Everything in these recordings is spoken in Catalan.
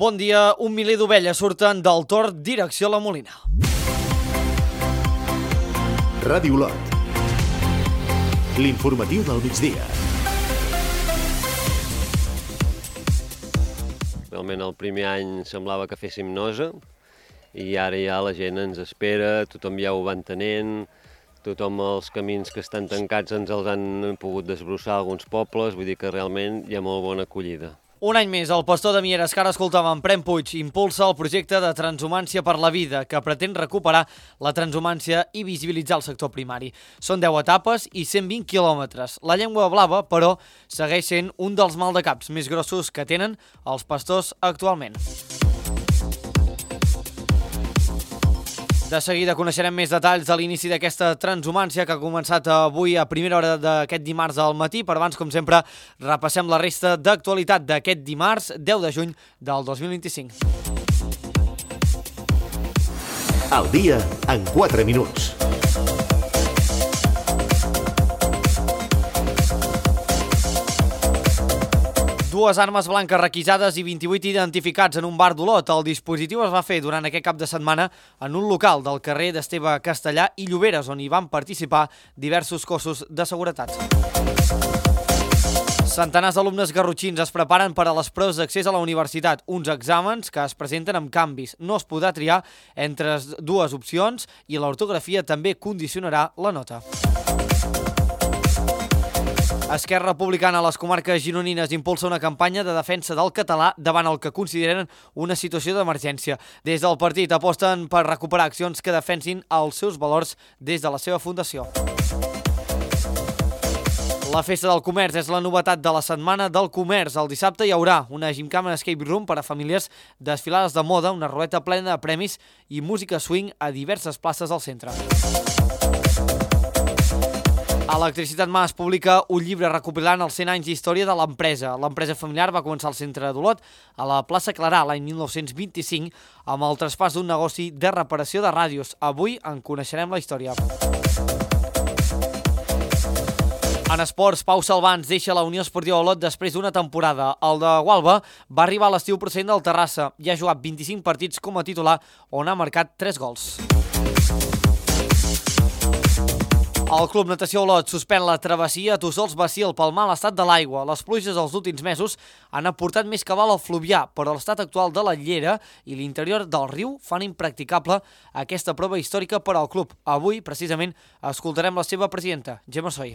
Bon dia, 1 miler d'ovelles surten del Tor direcció a la Molina. Ràdio Olot. L'informatiu del migdia. Realment el primer any semblava que féssim nosa i ara ja la gent ens espera, tothom ja ho va entenent, tothom els camins que estan tancats ens els han pogut desbrossar alguns pobles, vull dir que realment hi ha molt bona acollida. Un any més, el pastor de Mieres, que ara escoltàvem, Prem Puig, impulsa el projecte de Transhumància per la Vida, que pretén recuperar la transhumància i visibilitzar el sector primari. Són 10 etapes i 120 quilòmetres. La llengua blava, però, segueix sent un dels maldecaps més grossos que tenen els pastors actualment. De seguida coneixerem més detalls de l'inici d'aquesta transhumància que ha començat avui a primera hora d'aquest dimarts al matí. Per abans, com sempre, repassem la resta d'actualitat d'aquest dimarts 10 de juny del 2025. Al dia en 4 minuts. Dues armes blanques requisades i 28 identificats en un bar d'Olot. El dispositiu es va fer durant aquest cap de setmana en un local del carrer d'Esteve Castellà i Lloberes, on hi van participar diversos cossos de seguretat. Centenars d'alumnes garrotxins es preparen per a les proves d'accés a la universitat, uns exàmens que es presenten amb canvis. No es podrà triar entre dues opcions i l'ortografia també condicionarà la nota. Esquerra Republicana a les comarques gironines impulsa una campanya de defensa del català davant el que consideren una situació d'emergència. Des del partit aposten per recuperar accions que defensin els seus valors des de la seva fundació. La Festa del Comerç és la novetat de la Setmana del Comerç. El dissabte hi haurà una gimcana escape room per a famílies, desfilades de moda, una ruleta plena de premis i música swing a diverses places del centre. Electricitat Mas publica un llibre recopilant els 100 anys d'història de l'empresa. L'empresa familiar va començar al centre d'Olot, a la plaça Clarà, l'any 1925, amb el traspàs d'un negoci de reparació de ràdios. Avui en coneixerem la història. En esports, Pau Salvans deixa la Unió Esportiva Olot després d'una temporada. El de Gualba va arribar a l'estiu procedent del Terrassa i ha jugat 25 partits com a titular, on ha marcat 3 gols. El Club Natació Olot suspèn la travessia a Tossols-Basil pel mal estat de l'aigua. Les pluges dels últims mesos han aportat més cabal al fluvià, però l'estat actual de la llera i l'interior del riu fan impracticable aquesta prova històrica per al club. Avui, precisament, escoltarem la seva presidenta, Gemma Soy.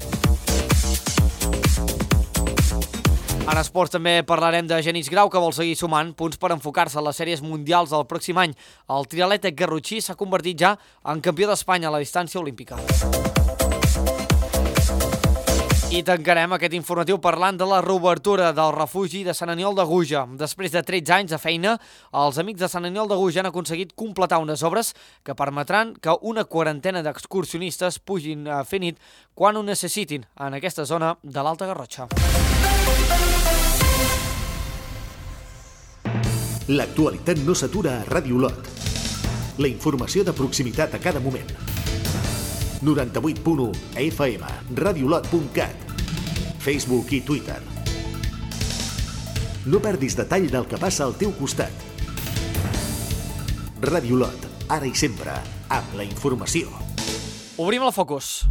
En esports també parlarem de Genís Grau, que vol seguir sumant punts per enfocar-se a les sèries mundials del pròxim any. El triatleta garrotxí s'ha convertit ja en campió d'Espanya a la distància olímpica. I tancarem aquest informatiu parlant de la reobertura del refugi de Sant Aniol de Guja. Després de 13 anys de feina, els amics de Sant Aniol de Guja han aconseguit completar unes obres que permetran que una quarantena d'excursionistes pugin a fer nit quan ho necessitin en aquesta zona de l'Alta Garrotxa. L'actualitat no s'atura a Ràdio Olot. La informació de proximitat a cada moment. 98.1 FM, radiolot.cat, Facebook i Twitter. No perdis detall del que passa al teu costat. Ràdio Olot, ara i sempre, amb la informació. Obrim el focus.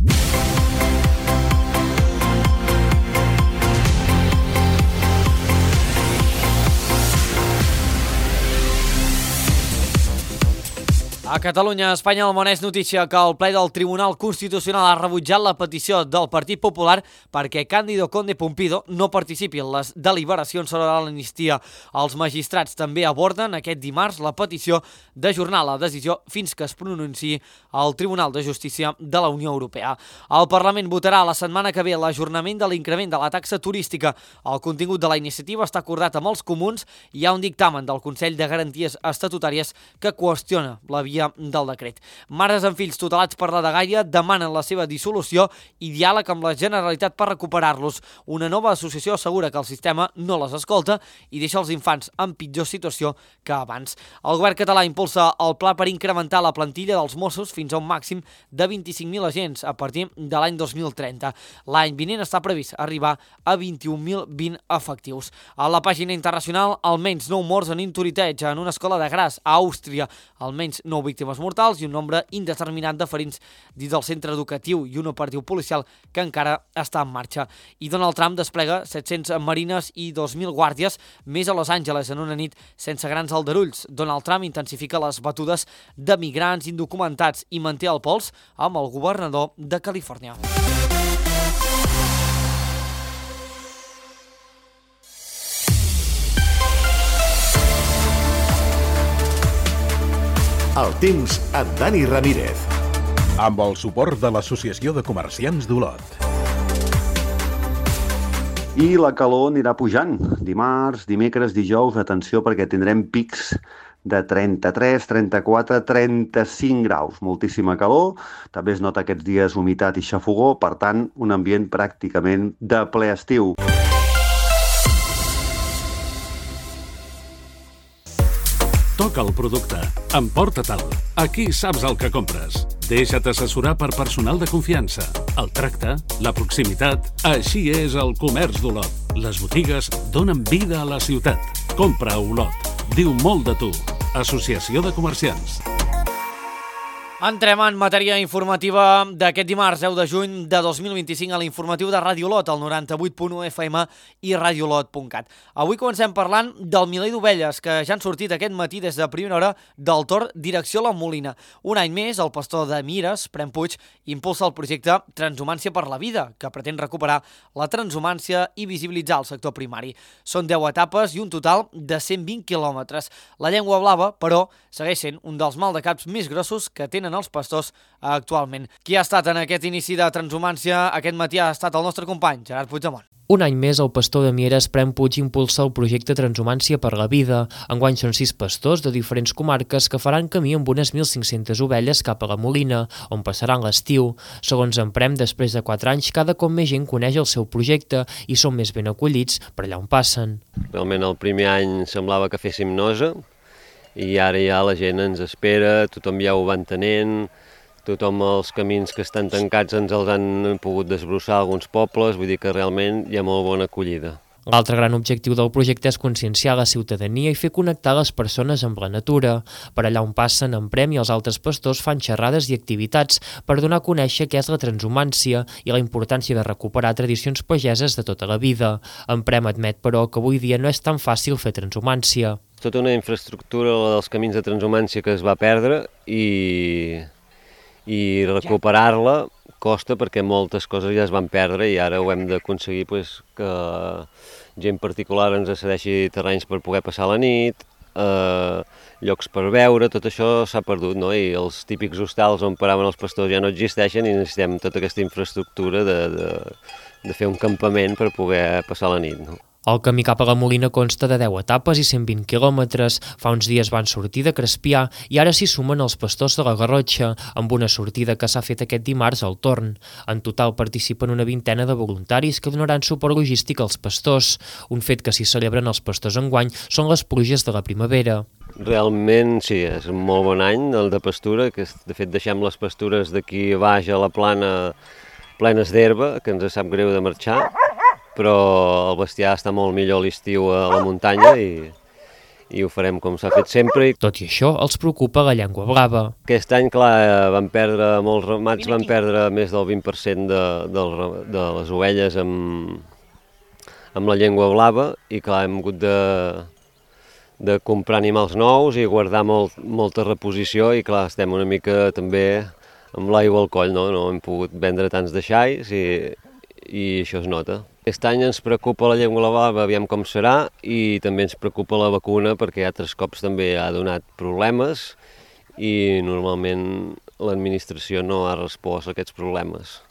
A Catalunya, Espanya, el món és notícia que el ple del Tribunal Constitucional ha rebutjat la petició del Partit Popular perquè Cándido Conde Pumpido no participi en les deliberacions sobre l'amnistia. Els magistrats també aborden aquest dimarts la petició d'ajornar la decisió fins que es pronunciï el Tribunal de Justícia de la Unió Europea. El Parlament votarà la setmana que ve l'ajornament de l'increment de la taxa turística. El contingut de la iniciativa està acordat amb els comuns i hi ha un dictamen del Consell de Garanties Estatutàries que qüestiona la viabilitat via del decret. Mares amb fills tutelats per la dgaia demanen la seva dissolució i diàleg amb la Generalitat per recuperar-los. Una nova associació assegura que el sistema no les escolta i deixa els infants en pitjor situació que abans. El govern català impulsa el pla per incrementar la plantilla dels Mossos fins a un màxim de 25.000 agents a partir de l'any 2030. L'any vinent està previst arribar a 21.020 efectius. A la pàgina internacional, almenys 9 morts en intoriteig en una escola de Graz, a Àustria, almenys 9 víctimes mortals i un nombre indeterminat de ferits dins del centre educatiu i un operatiu policial que encara està en marxa. I Donald Trump desplega 700 marines i 2.000 guàrdies més a Los Angeles en una nit sense grans aldarulls. Donald Trump intensifica les batudes de migrants indocumentats i manté el pols amb el governador de Califòrnia. El temps amb Dani Ramírez. Amb el suport de l'Associació de Comerciants d'Olot. I la calor anirà pujant. Dimarts, dimecres, dijous, atenció perquè tindrem pics de 33, 34, 35 graus. Moltíssima calor. També es nota aquests dies humitat i xafogó, per tant, un ambient pràcticament de ple estiu. Toca el producte, emporta-te'l. Aquí saps el que compres. Deixa't assessorar per personal de confiança. El tracte, la proximitat, així és el comerç d'Olot. Les botigues donen vida a la ciutat. Compra a Olot. Diu molt de tu. Associació de Comerciants. Entrem en matèria informativa d'aquest dimarts 10 de juny de 2025 a l'informatiu de Ràdio Olot, al 98.1 FM i radiolot.cat. Avui comencem parlant del miler d'ovelles que ja han sortit aquest matí des de primera hora del Tor direcció a la Molina. Un any més, el pastor de Mieres, Prem Puig, impulsa el projecte Transhumància per la Vida, que pretén recuperar la transhumància i visibilitzar el sector primari. Són 10 etapes i un total de 120 quilòmetres. La llengua blava, però, segueix sent un dels maldecaps més grossos que tenen els pastors actualment. Qui ha estat en aquest inici de transhumància aquest matí ha estat el nostre company, Gerard Puigdemont. Un any més, el pastor de Mieres, Prem Puig, impulsa el projecte Transhumància per la Vida. Enguany són 6 pastors de diferents comarques que faran camí amb unes 1.500 ovelles cap a la Molina, on passaran l'estiu. Segons en Prem, després de 4 anys, cada cop més gent coneix el seu projecte i són més ben acollits per allà on passen. Realment el primer any semblava que féssim nosa, i ara ja la gent ens espera, tothom ja ho va entenent, tothom els camins que estan tancats ens els han pogut desbrossar alguns pobles, vull dir que realment hi ha molt bona acollida. L'altre gran objectiu del projecte és conscienciar la ciutadania i fer connectar les persones amb la natura. Per allà on passen, en Prem i els altres pastors fan xerrades i activitats per donar a conèixer què és la transhumància i la importància de recuperar tradicions pageses de tota la vida. En Prem admet, però, que avui dia no és tan fàcil fer transhumància. Tota una infraestructura dels camins de transhumància que es va perdre i recuperar-la costa perquè moltes coses ja es van perdre i ara ho hem d'aconseguir que gent particular ens cedeixi terrenys per poder passar la nit, llocs per veure, tot això s'ha perdut, no? I els típics hostals on paraven els pastors ja no existeixen i necessitem tota aquesta infraestructura de fer un campament per poder passar la nit, no? El camí cap a la Molina consta de 10 etapes i 120 quilòmetres. Fa uns dies van sortir de Crespià i ara s'hi sumen els pastors de la Garrotxa, amb una sortida que s'ha fet aquest dimarts al Torn. En total participen una vintena de voluntaris que donaran suport logístic als pastors. Un fet que s'hi celebren els pastors enguany són les pluges de la primavera. Realment sí, és un molt bon any el de pastura, que de fet deixem les pastures d'aquí baix a la plana plenes d'herba, que ens sap greu de marxar, però el bestiar està molt millor a l'estiu a la muntanya i ho farem com s'ha fet sempre. Tot i això, els preocupa la llengua blava. Aquest any, clar, molts ramats van perdre més del 20% de les ovelles amb la llengua blava i, clar, hem hagut de comprar animals nous i guardar molta reposició i, clar, estem una mica també amb l'aigua al coll, no? No hem pogut vendre tants deixalls i això es nota. Aquest any ens preocupa la llengua blava, aviam com serà, i també ens preocupa la vacuna perquè altres cops també ha donat problemes i normalment l'administració no ha respost a aquests problemes.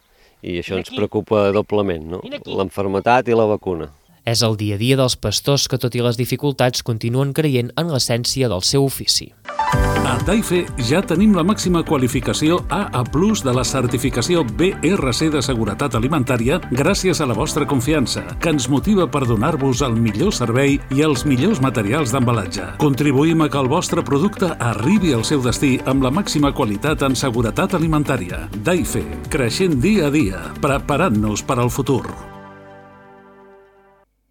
I això ens preocupa doblement, no? L'enfermetat i la vacuna. És el dia a dia dels pastors que, tot i les dificultats, continuen creient en l'essència del seu ofici. A Daife ja tenim la màxima qualificació AA+ de la certificació BRC de seguretat alimentària gràcies a la vostra confiança, que ens motiva per donar-vos el millor servei i els millors materials d'embalatge. Contribuïm a que el vostre producte arribi al seu destí amb la màxima qualitat en seguretat alimentària. Daife, creixent dia a dia, preparant-nos per al futur.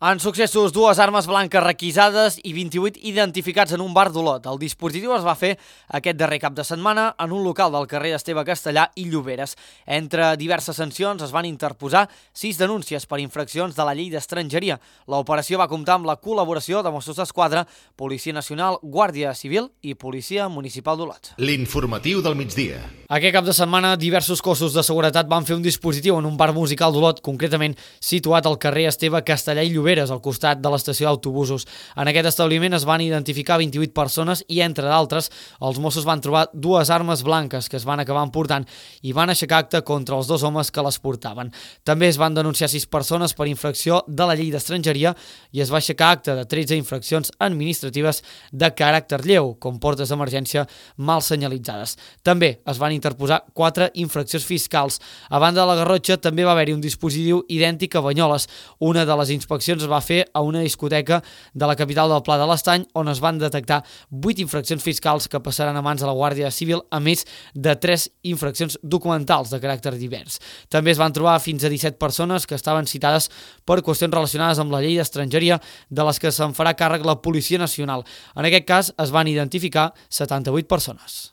En successos, 2 armes blanques requisades i 28 identificats en un bar d'Olot. El dispositiu es va fer aquest darrer cap de setmana en un local del carrer Esteve Castellà i Lloberes. Entre diverses sancions es van interposar 6 denúncies per infraccions de la llei d'estrangeria. L'operació va comptar amb la col·laboració de Mossos d'Esquadra, Policia Nacional, Guàrdia Civil i Policia Municipal d'Olot. L'informatiu del migdia. Aquest cap de setmana, diversos cossos de seguretat van fer un dispositiu en un bar musical d'Olot, concretament situat al carrer Esteve Castellà i Lloberes, al costat de l'estació d'autobusos. En aquest establiment es van identificar 28 persones i, entre d'altres, els Mossos van trobar 2 armes blanques que es van acabar emportant i van aixecar acta contra els 2 homes que les portaven. També es van denunciar 6 persones per infracció de la llei d'estrangeria i es va aixecar acta de 13 infraccions administratives de caràcter lleu, com portes d'emergència mal senyalitzades. També es van interposar 4 infraccions fiscals. A banda de la Garrotxa, també va haver-hi un dispositiu idèntic a Banyoles. Una de les inspeccions es va fer a una discoteca de la capital del Pla de l'Estany, on es van detectar 8 infraccions fiscals que passaran a mans de la Guàrdia Civil, a més de 3 infraccions documentals de caràcter divers. També es van trobar fins a 17 persones que estaven citades per qüestions relacionades amb la llei d'estrangeria, de les que se'n farà càrrec la Policia Nacional. En aquest cas es van identificar 78 persones.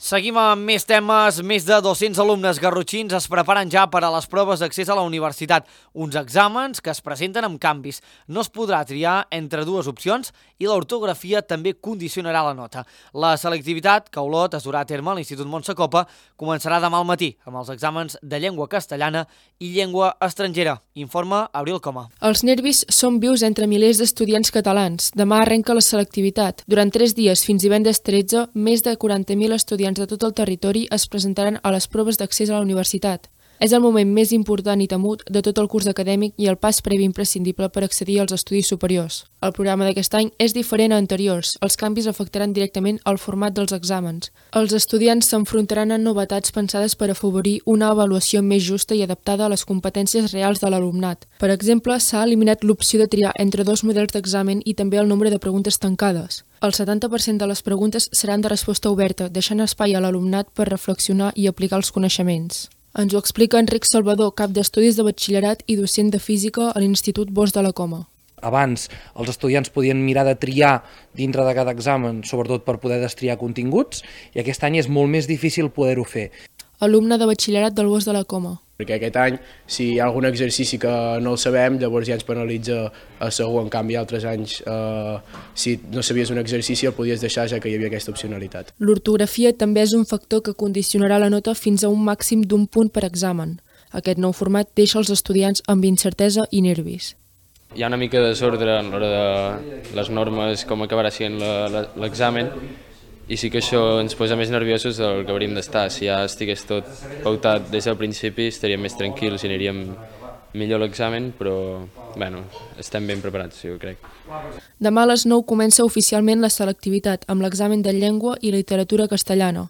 Seguim amb més temes. Més de 200 alumnes garrotxins es preparen ja per a les proves d'accés a la universitat. Uns exàmens que es presenten amb canvis. No es podrà triar entre 2 opcions i l'ortografia també condicionarà la nota. La selectivitat, que a Olot es durà a terme a l'Institut Montsecopa, començarà demà al matí amb els exàmens de llengua castellana i llengua estrangera. Informa Abril Coma. Els nervis són vius entre milers d'estudiants catalans. Demà arrenca la selectivitat. Durant 3 dies, fins divendres 13, més de 40.000 estudiants de tot el territori es presentaran a les proves d'accés a la universitat. És el moment més important i temut de tot el curs acadèmic i el pas previ imprescindible per accedir als estudis superiors. El programa d'aquest any és diferent a anteriors. Els canvis afectaran directament el format dels exàmens. Els estudiants s'enfrontaran a novetats pensades per afavorir una avaluació més justa i adaptada a les competències reals de l'alumnat. Per exemple, s'ha eliminat l'opció de triar entre 2 models d'examen i també el nombre de preguntes tancades. El 70% de les preguntes seran de resposta oberta, deixant espai a l'alumnat per reflexionar i aplicar els coneixements. Ens ho explica Enric Salvador, cap d'estudis de batxillerat i docent de física a l'Institut Bosch de la Coma. Abans els estudiants podien mirar de triar dintre de cada examen, sobretot per poder destriar continguts, i aquest any és molt més difícil poder-ho fer. Alumne de batxillerat del Bosch de la Coma. Perquè aquest any, si hi ha algun exercici que no el sabem, llavors ja ens penalitza a segur. En canvi, altres anys, si no sabies un exercici, el podies deixar, ja que hi havia aquesta opcionalitat. L'ortografia també és un factor que condicionarà la nota fins a un màxim d'1 punt per examen. Aquest nou format deixa els estudiants amb incertesa i nervis. Hi ha una mica de desordre en l'hora de les normes, com acabarà sent l'examen, i sí que això ens posa més nerviosos del que hauríem d'estar. Si ja estigués tot pautat des del principi, estaríem més tranquils i aniríem millor l'examen, però bueno, estem ben preparats, jo crec. Demà a les 9 comença oficialment la selectivitat amb l'examen de llengua i literatura castellana.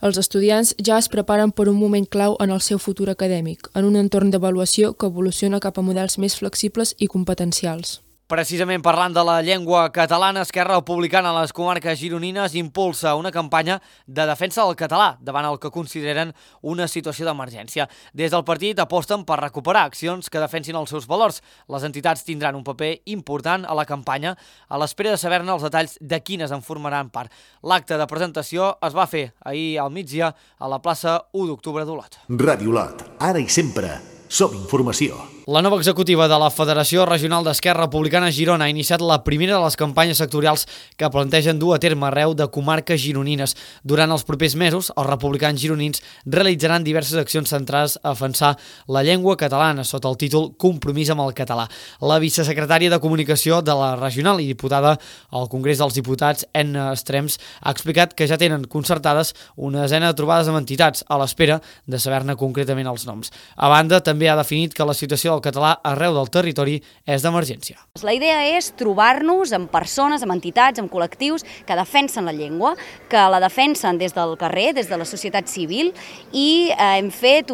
Els estudiants ja es preparen per un moment clau en el seu futur acadèmic, en un entorn d'avaluació que evoluciona cap a models més flexibles i competencials. Precisament parlant de la llengua catalana, Esquerra Republicana a les comarques gironines impulsa una campanya de defensa del català davant el que consideren una situació d'emergència. Des del partit aposten per recuperar accions que defensin els seus valors. Les entitats tindran un paper important a la campanya a l'espera de saber-ne els detalls de quines en formaran part. L'acte de presentació es va fer ahir al migdia a la plaça 1 d'octubre d'Olot. Ràdio Olot, ara i sempre, som informació. La nova executiva de la Federació Regional d'Esquerra Republicana a Girona ha iniciat la primera de les campanyes sectorials que plantegen dur a terme arreu de comarques gironines. Durant els propers mesos, els republicans gironins realitzaran diverses accions centrades a defensar la llengua catalana sota el títol Compromís amb el català. La vicesecretària de Comunicació de la Regional i diputada al Congrés dels Diputats, Enna Estrems, ha explicat que ja tenen concertades una desena de trobades amb entitats a l'espera de saber-ne concretament els noms. A banda, també ha definit que la situació del català arreu del territori és d'emergència. La idea és trobar-nos amb persones, amb entitats, amb col·lectius que defensen la llengua, que la defensen des del carrer, des de la societat civil, i hem fet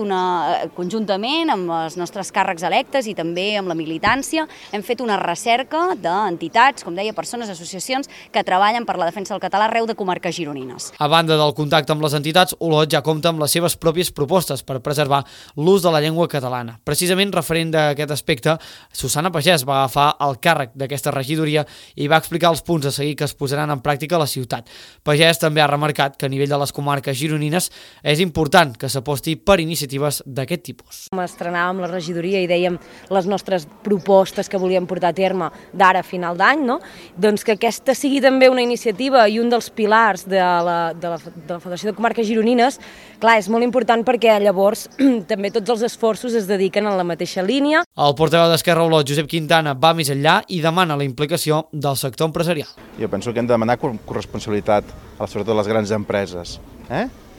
conjuntament amb els nostres càrrecs electes i també amb la militància, hem fet una recerca d'entitats, com deia, persones, associacions que treballen per la defensa del català arreu de comarques gironines. A banda del contacte amb les entitats, Olot ja compta amb les seves pròpies propostes per preservar l'ús de la llengua catalana. Precisament referent d'aquest aspecte, Susana Pagès va agafar el càrrec d'aquesta regidoria i va explicar els punts a seguir que es posaran en pràctica a la ciutat. Pagès també ha remarcat que a nivell de les comarques gironines és important que s'aposti per iniciatives d'aquest tipus. Estrenàvem la regidoria i dèiem les nostres propostes que volíem portar a terme d'ara a final d'any, no? Doncs que aquesta sigui també una iniciativa i un dels pilars de la Federació de Comarques Gironines. Clar, és molt important perquè llavors també tots els esforços es dediquen en la mateixa línia. El portaveu d'Esquerra Olot, Josep Quintana, va més enllà i demana la implicació del sector empresarial. Jo penso que hem de demanar corresponsabilitat sobretot a les grans empreses,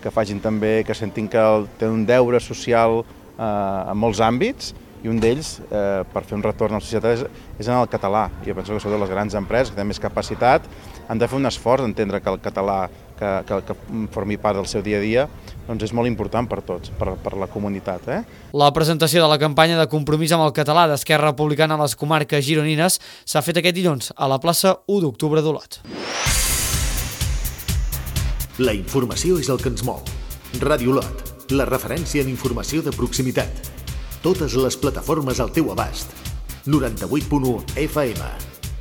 que facin també, que sentin que tenen un deure social en molts àmbits, i un d'ells, per fer un retorn a la societat, és en el català. Jo penso que sobretot les grans empreses, que tenen més capacitat, han de fer un esforç d'entendre que el català que formi part del seu dia a dia doncs és molt important per tots, per la comunitat. La presentació de la campanya de compromís amb el català d'Esquerra Republicana a les comarques gironines s'ha fet aquest dilluns a la plaça 1 d'octubre d'Olot. La informació és el que ens mou. Ràdio Olot, la referència en informació de proximitat. Totes les plataformes al teu abast. 98.1 FM,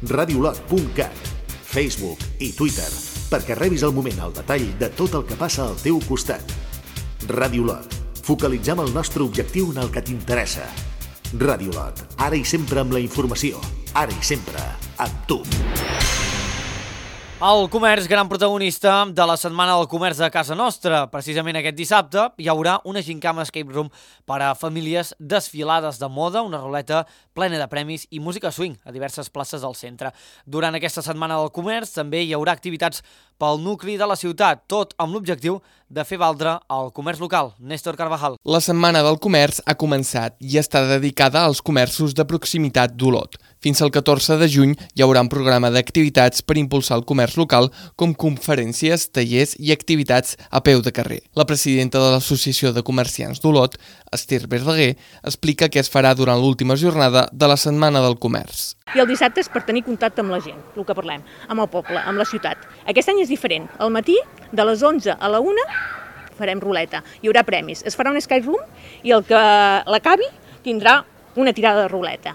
radiolot.cat, Facebook i Twitter, perquè rebis al moment el detall de tot el que passa al teu costat. Ràdio Olot, focalitzem el nostre objectiu en el que t'interessa. Ràdio Olot, ara i sempre amb la informació, ara i sempre amb tu. El comerç, gran protagonista de la Setmana del Comerç de casa nostra. Precisament aquest dissabte hi haurà una gincama escape room per a famílies, desfilades de moda, una ruleta plena de premis i música swing a diverses places del centre. Durant aquesta Setmana del Comerç també hi haurà activitats pel nucli de la ciutat, tot amb l'objectiu de fer valdre el comerç local. Néstor Carvajal. La Setmana del Comerç ha començat i està dedicada als comerços de proximitat d'Olot. Fins al 14 de juny hi haurà un programa d'activitats per impulsar el comerç local, com conferències, tallers i activitats a peu de carrer. La presidenta de l'Associació de Comerciants d'Olot, Esther Verdaguer, explica què es farà durant l'última jornada de la Setmana del Comerç. I el dissabte és per tenir contacte amb la gent, el que parlem, amb el poble, amb la ciutat. Aquest any és diferent. Al matí, de les 11 a la 1, farem ruleta. Hi haurà premis. Es farà un escape room i el que l'acabi tindrà una tirada de ruleta.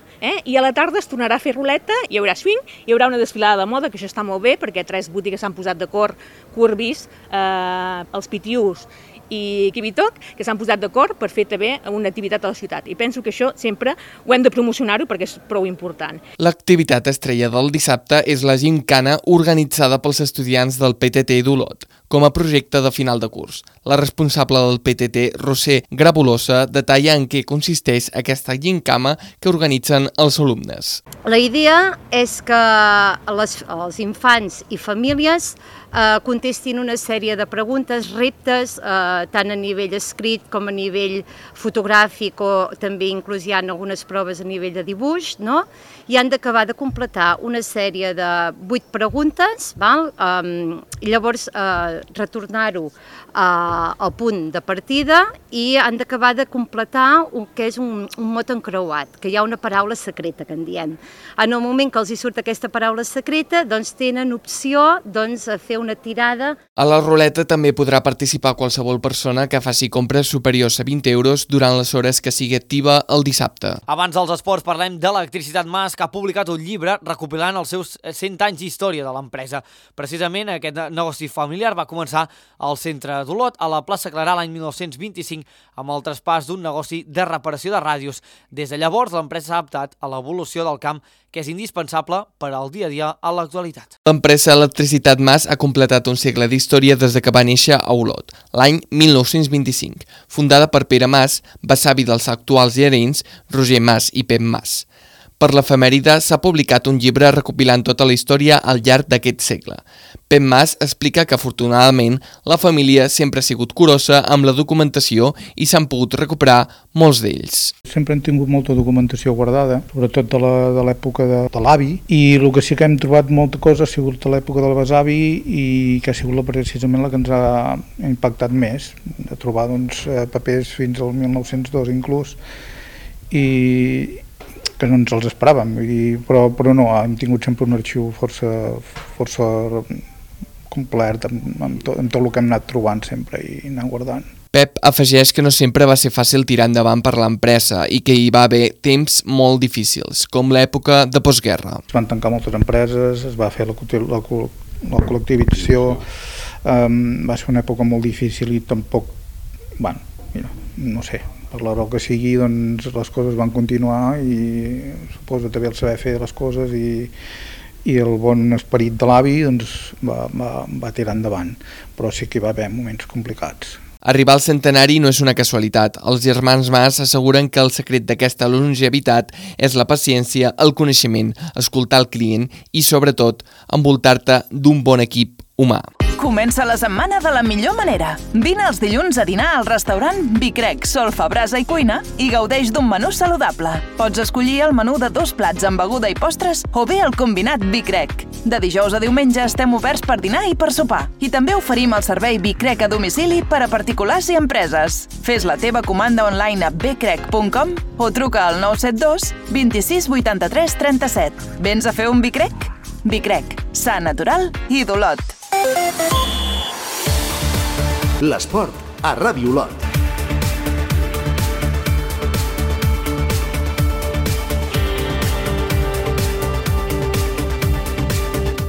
I a la tarda es tornarà a fer ruleta, hi haurà swing, hi haurà una desfilada de moda, que això està molt bé, perquè 3 botigues s'han posat d'acord, Courbis, els Pitius i Kibitoc, que s'han posat d'acord per fer també una activitat a la ciutat. I penso que això sempre ho hem de promocionar-ho perquè és prou important. L'activitat estrella del dissabte és la gincana organitzada pels estudiants del PTT d'Olot, com a projecte de final de curs. La responsable del PTT, Roser Grabulosa, detalla en què consisteix aquesta gincama que organitzen els alumnes. La idea és que els infants i famílies contestin una sèrie de preguntes, reptes, tant a nivell escrit com a nivell fotogràfic, o també inclús hi ha algunes proves a nivell de dibuix, no? I han d'acabar de completar una sèrie de 8 preguntes, i llavors retornar-ho al punt de partida, i han d'acabar de completar el que és un mot encreuat, que hi ha una paraula secreta, que en diem. En el moment que els hi surt aquesta paraula secreta, doncs tenen opció a fer una tirada. A la ruleta també podrà participar qualsevol persona que faci compres superiors a 20 euros durant les hores que sigui activa el dissabte. Abans dels esports parlem de l'Electricitat Mas, que ha publicat un llibre recopilant els seus 100 anys d'història de l'empresa. Precisament aquest negoci familiar va començar al centre d'Olot, a la plaça Clarà, l'any 1925, amb el traspàs d'un negoci de reparació de ràdios. Des de llavors, l'empresa s'ha adaptat a l'evolució del camp, que és indispensable per al dia a dia a l'actualitat. L'empresa Electricitat Mas ha completat un segle d'història des que va néixer a Olot, l'any 1925, fundada per Pere Mas, besavi dels actuals gerents Roger Mas i Pep Mas. Per l'efemèride s'ha publicat un llibre recopilant tota la història al llarg d'aquest segle. Pep Mas explica que afortunadament la família sempre ha sigut curosa amb la documentació i s'han pogut recuperar molts d'ells. Sempre hem tingut molta documentació guardada, sobretot de l'època de l'avi, i el que sí que hem trobat molta cosa ha sigut de l'època del besavi i que ha sigut precisament la que ens ha impactat més, de trobar papers fins al 1902 inclús, i que no ens els esperàvem, però no, hem tingut sempre un arxiu força complet amb tot el que hem anat trobant sempre i anant guardant. Pep afegeix que no sempre va ser fàcil tirar endavant per l'empresa i que hi va haver temps molt difícils, com l'època de postguerra. Es van tancar moltes empreses, es va fer la col·lectivització, va ser una època molt difícil i tampoc, no sé, per la raó que sigui, doncs les coses van continuar i suposo també el saber fer les coses i el bon esperit de l'avi doncs, va tirar endavant, però sí que hi va haver moments complicats. Arribar al centenari no és una casualitat. Els germans Mas asseguren que el secret d'aquesta longevitat és la paciència, el coneixement, escoltar el client i, sobretot, envoltar-te d'un bon equip humà. Comença la setmana de la millor manera. Vine els dilluns a dinar al restaurant Bicrec, Solfa, Brasa i Cuina i gaudeix d'un menú saludable. Pots escollir el menú de 2 plats amb beguda i postres o bé el combinat Bicrec. De dijous a diumenge estem oberts per dinar i per sopar. I també oferim el servei Bicrec a domicili per a particulars i empreses. Fes la teva comanda online a bcrec.com o truca al 972 26 83 37. Vens a fer un Bicrec? Bicrec, sa, natural i d'Olot. L'esport a Ràdio Olot.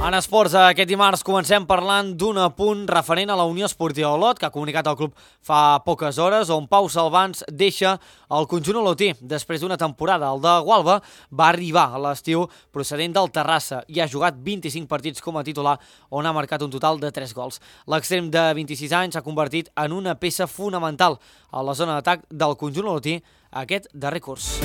En esports, aquest dimarts comencem parlant d'un apunt referent a la Unió Esportiva Olot, que ha comunicat el club fa poques hores, on Pau Salvans deixa el conjunt olotí. Després d'una temporada, el de Gualba va arribar a l'estiu procedent del Terrassa i ha jugat 25 partits com a titular, on ha marcat un total de 3 gols. L'extrem de 26 anys s'ha convertit en una peça fonamental a la zona d'atac del conjunt olotí aquest darrer curs.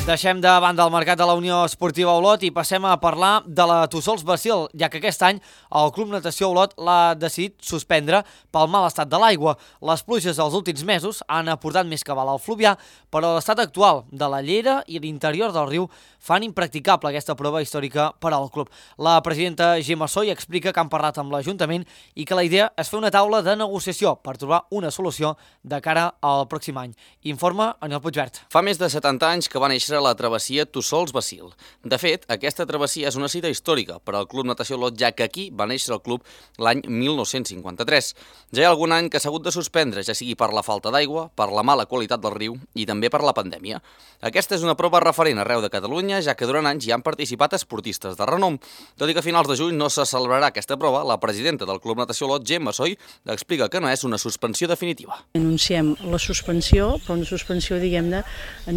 Deixem de banda el mercat de la Unió Esportiva Olot i passem a parlar de la Tussols Bacil, ja que aquest any el Club Natació Olot l'ha decidit suspendre pel mal estat de l'aigua. Les pluges dels últims mesos han aportat més cabal al fluvià, però l'estat actual de la llera i l'interior del riu fan impracticable aquesta prova històrica per al club. La presidenta Gemma Soy explica que han parlat amb l'Ajuntament i que la idea és fer una taula de negociació per trobar una solució de cara al pròxim any. Informa Anel Puigvert. Fa més de 70 anys que va néixer la travessia Tussols Bacil. De fet, aquesta travessia és una cita històrica per al Club Natació Olot, ja que aquí va néixer el club l'any 1953. Ja hi ha algun any que s'ha hagut de suspendre, ja sigui per la falta d'aigua, per la mala qualitat del riu i també per la pandèmia. Aquesta és una prova referent arreu de Catalunya, ja que durant anys hi han participat esportistes de renom. Tot i que a finals de juny no se celebrarà aquesta prova, la presidenta del Club Natació Olot, Gemma Soy, explica que no és una suspensió definitiva. Anunciem la suspensió, però una suspensió, diguem-ne,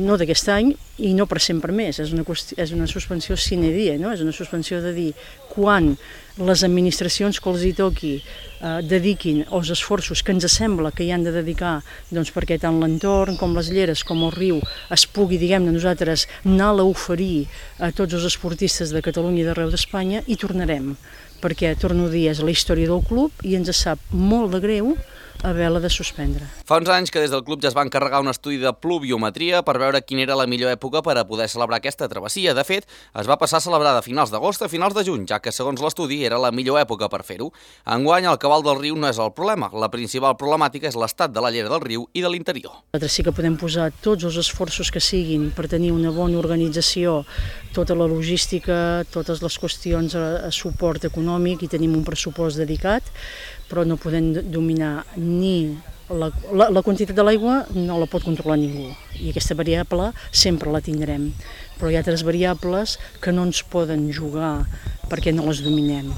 no d'aquest any i no per sempre més. És una suspensió sine die, no? És una suspensió de dir quan les administracions que els hi toqui dediquin els esforços que ens sembla que hi han de dedicar perquè tant l'entorn com les lleres com el riu es pugui, diguem-ne, nosaltres anar-la a oferir a tots els esportistes de Catalunya i d'arreu d'Espanya i tornarem, perquè, torno a dir, és la història del club i ens sap molt de greu haver-la de suspendre. Fa uns anys que des del club ja es va encarregar un estudi de pluviometria per veure quina era la millor època per a poder celebrar aquesta travessia. De fet, es va passar a celebrar de finals d'agost a finals de juny, ja que segons l'estudi era la millor època per fer-ho. Enguany, el cabal del riu no és el problema. La principal problemàtica és l'estat de la llera del riu i de l'interior. Nosaltres sí que podem posar tots els esforços que siguin per tenir una bona organització, tota la logística, totes les qüestions a suport econòmic i tenim un pressupost dedicat, però no podem dominar ni la quantitat de l'aigua, no la pot controlar ningú i aquesta variable sempre la tindrem, però hi ha altres variables que no ens poden jugar perquè no les dominem,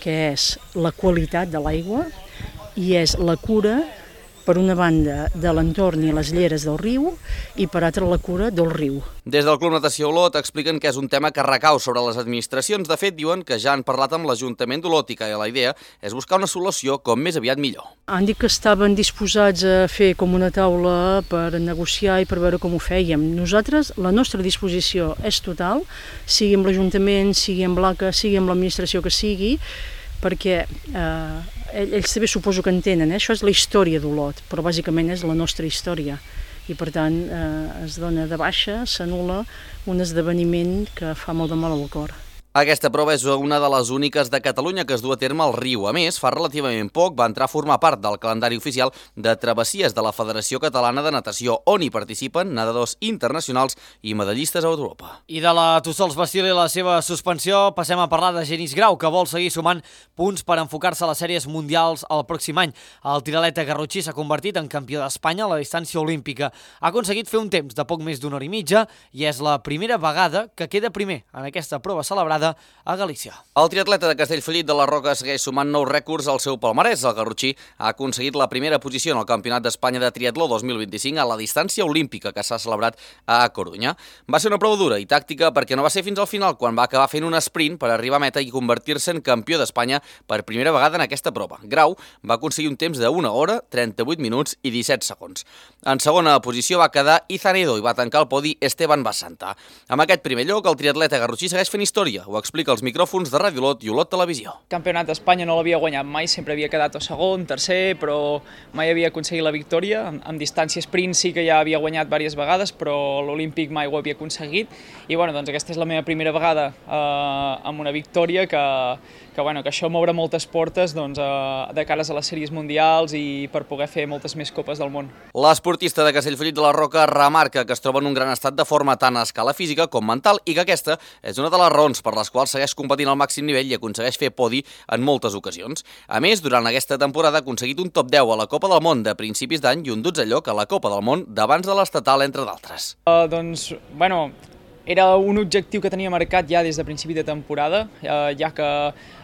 que és la qualitat de l'aigua i és la cura per una banda de l'entorn i les lleres del riu i per altra la cura del riu. Des del Club Natació Olot expliquen que és un tema que recau sobre les administracions. De fet, diuen que ja han parlat amb l'Ajuntament d'Olot i que la idea és buscar una solució com més aviat millor. Han dit que estaven disposats a fer com una taula per negociar i per veure com ho fèiem. Nosaltres, la nostra disposició és total, sigui amb l'Ajuntament, sigui amb l'ACA, sigui amb l'administració que sigui, perquè ells també suposo que entenen, això és la història d'Olot, però bàsicament és la nostra història. I per tant es dona de baixa, s'anul·la un esdeveniment que fa molt de mal al cor. Aquesta prova és una de les úniques de Catalunya que es du a terme al riu. A més, fa relativament poc va entrar a formar part del calendari oficial de travessies de la Federació Catalana de Natació, on hi participen nedadors internacionals i medallistes a Europa. I de la Tussols Basil i la seva suspensió passem a parlar de Genís Grau, que vol seguir sumant punts per enfocar-se a les sèries mundials el pròxim any. El tiraleta garrotxí s'ha convertit en campió d'Espanya a la distància olímpica. Ha aconseguit fer un temps de poc més d'una hora i mitja i és la primera vegada que queda primer en aquesta prova celebrada a Galícia. El triatleta de Castellfollit de la Roca segueix sumant nous rècords al seu palmarès. El garrotxí ha aconseguit la primera posició en el Campionat d'Espanya de Triatló 2025 a la distància olímpica que s'ha celebrat a Corunya. Va ser una prova dura i tàctica perquè no va ser fins al final quan va acabar fent un sprint per arribar a meta i convertir-se en campió d'Espanya per primera vegada en aquesta prova. Grau va aconseguir un temps de 1 hora, 38 minuts i 17 segons. En segona posició va quedar Izanedo i va tancar el podi Esteban Basanta. Amb aquest primer lloc, el triatleta garrotxí segueix fent història. Ho explica als micròfons de Ràdio Olot i Olot Televisió. Campionat d'Espanya no l'havia guanyat mai, sempre havia quedat o segon, tercer, però mai havia aconseguit la victòria. En distància sprint sí que ja havia guanyat diverses vegades, però l'Olímpic mai ho havia aconseguit. I doncs aquesta és la meva primera vegada amb una victòria que això m'obre moltes portes de cares a les sèries mundials i per poder fer moltes més copes del món. L'esportista de Castellfollit de la Roca remarca que es troba en un gran estat de forma tant a escala física com mental i que aquesta és una de les raons per les quals segueix competint al màxim nivell i aconsegueix fer podi en moltes ocasions. A més, durant aquesta temporada ha aconseguit un top 10 a la Copa del Món de principis d'any i un 12è lloc a la Copa del Món d'abans de l'estatal, entre d'altres. Era un objectiu que tenia marcat ja des de principi de temporada, ja que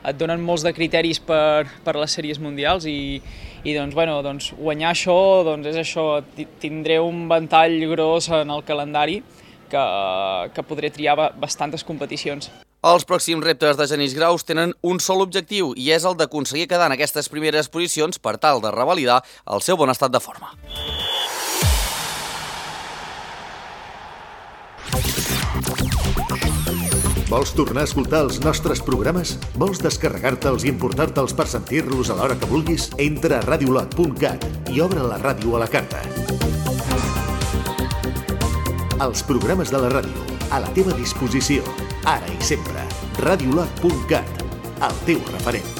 et donen molts de criteris per les sèries mundials i guanyar això és això, tindré un ventall gros en el calendari que podré triar bastantes competicions. Els pròxims reptes de Genís Grau tenen un sol objectiu i és el d'aconseguir quedar en aquestes primeres posicions per tal de revalidar el seu bon estat de forma. Vols tornar a escoltar els nostres programes? Vols descarregar-te'ls i importar-te'ls per sentir-los a l'hora que vulguis? Entra a radiolot.cat i obre la ràdio a la carta. Els programes de la ràdio, a la teva disposició, ara i sempre. Radiolot.cat, el teu referent.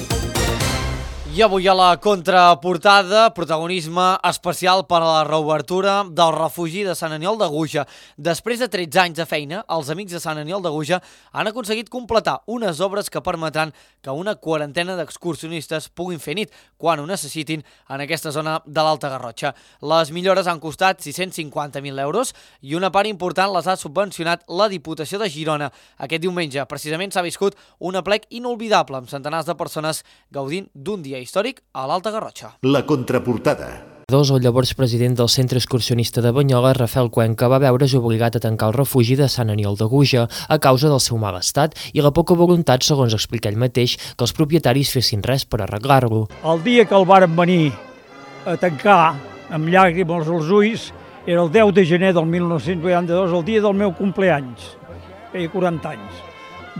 I avui a la contraportada, protagonisme especial per a la reobertura del refugi de Sant Aniol de Guja. Després de 13 anys de feina, els amics de Sant Aniol de Guja han aconseguit completar unes obres que permetran que una quarantena d'excursionistes puguin fer nit quan ho necessitin en aquesta zona de l'Alta Garrotxa. Les millores han costat 650.000 euros i una part important les ha subvencionat la Diputació de Girona. Aquest diumenge, precisament, s'ha viscut un aplec inolvidable amb centenars de persones gaudint d'un dia històric a l'Alta Garrotxa. La contraportada. El llavors president del Centre Excursionista de Banyoles, Rafael Cuenca, va veure's obligat a tancar el refugi de Sant Aniol de Guja a causa del seu mal estat i la poca voluntat, segons explica ell mateix, que els propietaris fessin res per arreglar-lo. El dia que el varen venir a tancar amb llàgrimes als ulls era el 10 de gener del 1982, el dia del meu compleanys, feia 40 anys.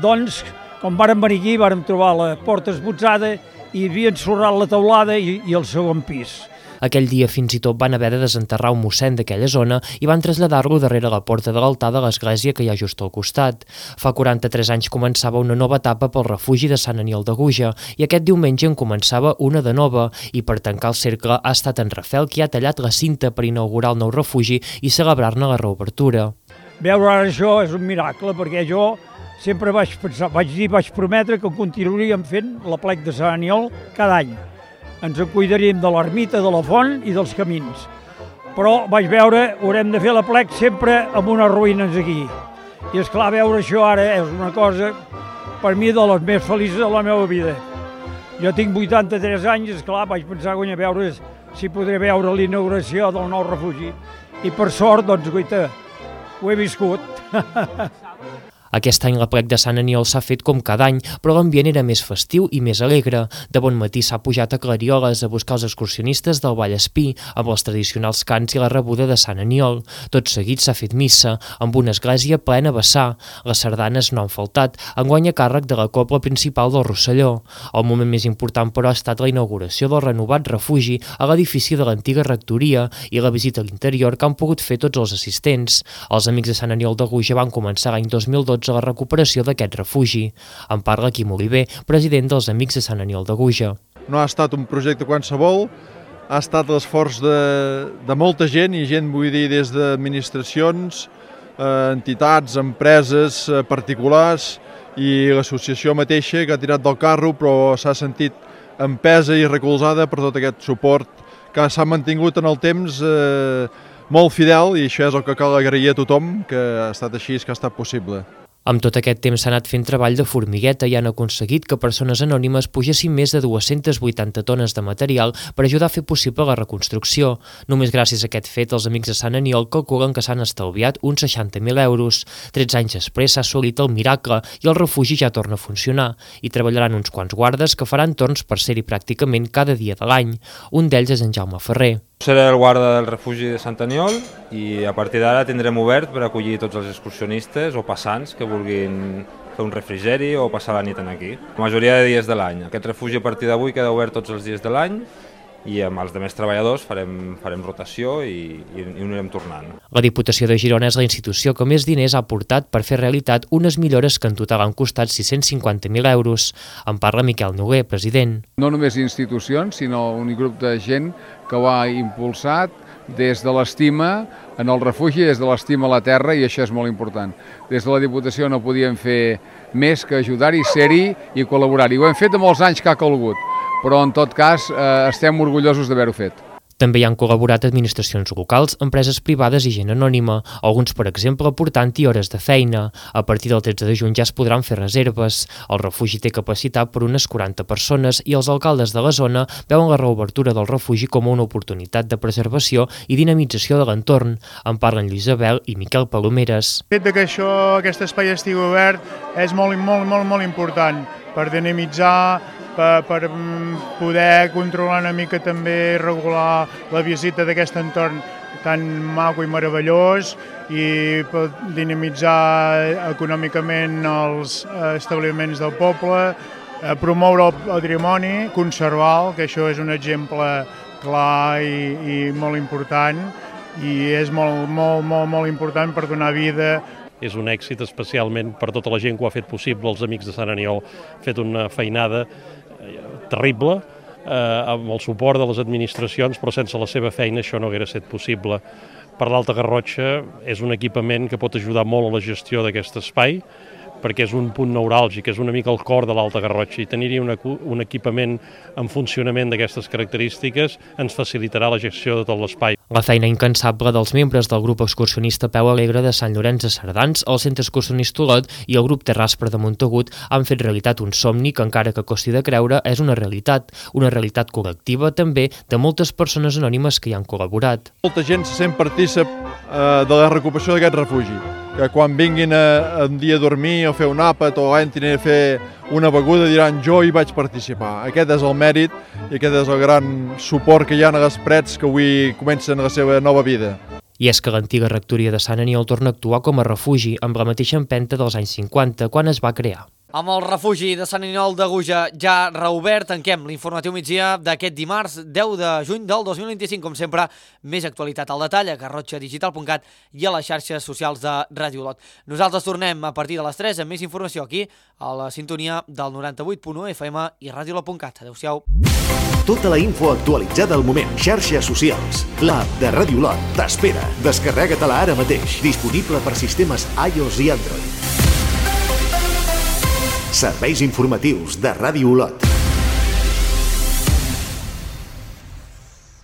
Doncs, quan varen venir aquí, vàrem trobar la porta esbotzada i havien ensorrat la teulada i el segon pis. Aquell dia fins i tot van haver de desenterrar un mossèn d'aquella zona i van traslladar-lo darrere la porta de l'altar de l'església que hi ha just al costat. Fa 43 anys començava una nova etapa pel refugi de Sant Aniol de Guja i aquest diumenge en començava una de nova i per tancar el cercle ha estat en Rafael qui ha tallat la cinta per inaugurar el nou refugi i celebrar-ne la reobertura. Veure ara això és un miracle perquè jo sempre vaig prometre que continuaríem fent l'aplec de Sant Aniol cada any. Ens en cuidaríem de l'ermita, de la font i dels camins. Però vaig veure, haurem de fer l'aplec sempre amb unes ruïnes aquí. I esclar, veure això ara és una cosa, per mi, de les més felices de la meva vida. Jo tinc 83 anys, esclar, vaig pensar que veure si podré veure la inauguració del nou refugi. I per sort, doncs, guaita, ho he viscut. Aquest any l'aplec de Sant Aniol s'ha fet com cada any, però l'ambient era més festiu i més alegre. De bon matí s'ha pujat a Clarioles a buscar els excursionistes del Vallespí, amb els tradicionals cants i la rebuda de Sant Aniol. Tot seguit s'ha fet missa, amb una església plena a vessar. Les sardanes no han faltat, enguany a càrrec de la cobla principal del Rosselló. El moment més important, però, ha estat la inauguració del renovat refugi a l'edifici de l'antiga rectoria i la visita a l'interior que han pogut fer tots els assistents. Els amics de Sant Aniol de Guja van començar l'any 2012 a la recuperació d'aquest refugi. En parla Quim Oliver, president dels Amics de Sant Aniol de Guja. No ha estat un projecte qualsevol, ha estat l'esforç de molta gent, i gent vull dir des d'administracions, entitats, empreses, particulars i l'associació mateixa que ha tirat del carro, però s'ha sentit empesa i recolzada per tot aquest suport que s'ha mantingut en el temps molt fidel, i això és el que cal agrair a tothom, que ha estat així, que ha estat possible. Amb tot aquest temps s'ha anat fent treball de formigueta i han aconseguit que persones anònimes pugessin més de 280 tones de material per ajudar a fer possible la reconstrucció. Només gràcies a aquest fet, els Amics de Sant Aniol calculen que s'han estalviat uns 60.000 euros. 13 anys després s'ha assolit el miracle i el refugi ja torna a funcionar. Hi treballaran uns quants guardes que faran torns per ser-hi pràcticament cada dia de l'any. Un d'ells és en Jaume Ferrer. Seré el guarda del refugi de Sant Aniol i a partir d'ara tindrem obert per acollir tots els excursionistes o passants que vulguin fer un refrigeri o passar la nit aquí. La majoria de dies de l'any. Aquest refugi a partir d'avui queda obert tots els dies de l'any i amb els altres treballadors farem rotació i anirem tornant. La Diputació de Girona és la institució que més diners ha aportat per fer realitat unes millores que en total han costat 650.000 euros. En parla Miquel Noguer, president. No només institucions, sinó un grup de gent que ho ha impulsat des de l'estima en el refugi, des de l'estima a la terra, i això és molt important. Des de la Diputació no podíem fer més que ajudar-hi, ser-hi i col·laborar-hi. Ho hem fet de molts anys que ha calgut, però en tot cas estem orgullosos d'haver-ho fet. També hi han col·laborat administracions locals, empreses privades i gent anònima, alguns, per exemple, aportant-hi hores de feina. A partir del 13 de juny ja es podran fer reserves. El refugi té capacitat per unes 40 persones i els alcaldes de la zona veuen la reobertura del refugi com una oportunitat de preservació i dinamització de l'entorn. En parlen Lluís Abel i Miquel Palomeres. El fet que aquest espai estigui obert és molt important per dinamitzar, per poder controlar una mica també, regular la visita d'aquest entorn tan maco i meravellós i per dinamitzar econòmicament els establiments del poble, promoure el patrimoni, conservar-lo, que això és un exemple clar i molt important, i és molt important per donar vida. És un èxit especialment per tota la gent que ho ha fet possible. Els Amics de Sant Aniol han fet una feinada terrible, amb el suport de les administracions, però sense la seva feina això no haguera estat possible. Per l'Alta Garrotxa és un equipament que pot ajudar molt a la gestió d'aquest espai, perquè és un punt neuràlgic, és una mica el cor de l'Alta Garrotxa, i tenir-hi un equipament en funcionament d'aquestes característiques ens facilitarà la gestió de tot l'espai. La feina incansable dels membres del grup excursionista Peu Alegre de Sant Llorenç de Cerdans, el Centre Excursionista Olot i el grup Terraspre de Montagut han fet realitat un somni que, encara que costi de creure, és una realitat col·lectiva també de moltes persones anònimes que hi han col·laborat. Molta gent se sent partícip de la recuperació d'aquest refugi, que quan vinguin un dia a dormir o fer un àpat o entrin a fer una beguda diran jo hi vaig participar. Aquest és el mèrit i aquest és el gran suport que hi ha a les Prets que avui comencen la seva nova vida. I és que l'antiga rectoria de Sant Aniol torna a actuar com a refugi amb la mateixa empenta dels anys 50, quan es va crear. Amb el refugi de Sant Aniol de Guja ja reobert, tanquem l'informatiu migdia d'aquest dimarts 10 de juny del 2025. Com sempre, més actualitat al detall a garrotxadigital.cat i a les xarxes socials de Ràdio Olot. Nosaltres tornem a partir de les 3 amb més informació aquí, a la sintonia del 98.1 FM i radiolot.cat. Adéu-siau. Tota la info actualitzada al moment. Xarxes socials. L'app de Ràdio Olot t'espera. Descarrega-te-la ara mateix. Disponible per sistemes iOS i Android. Serveis informatius de Ràdio Olot.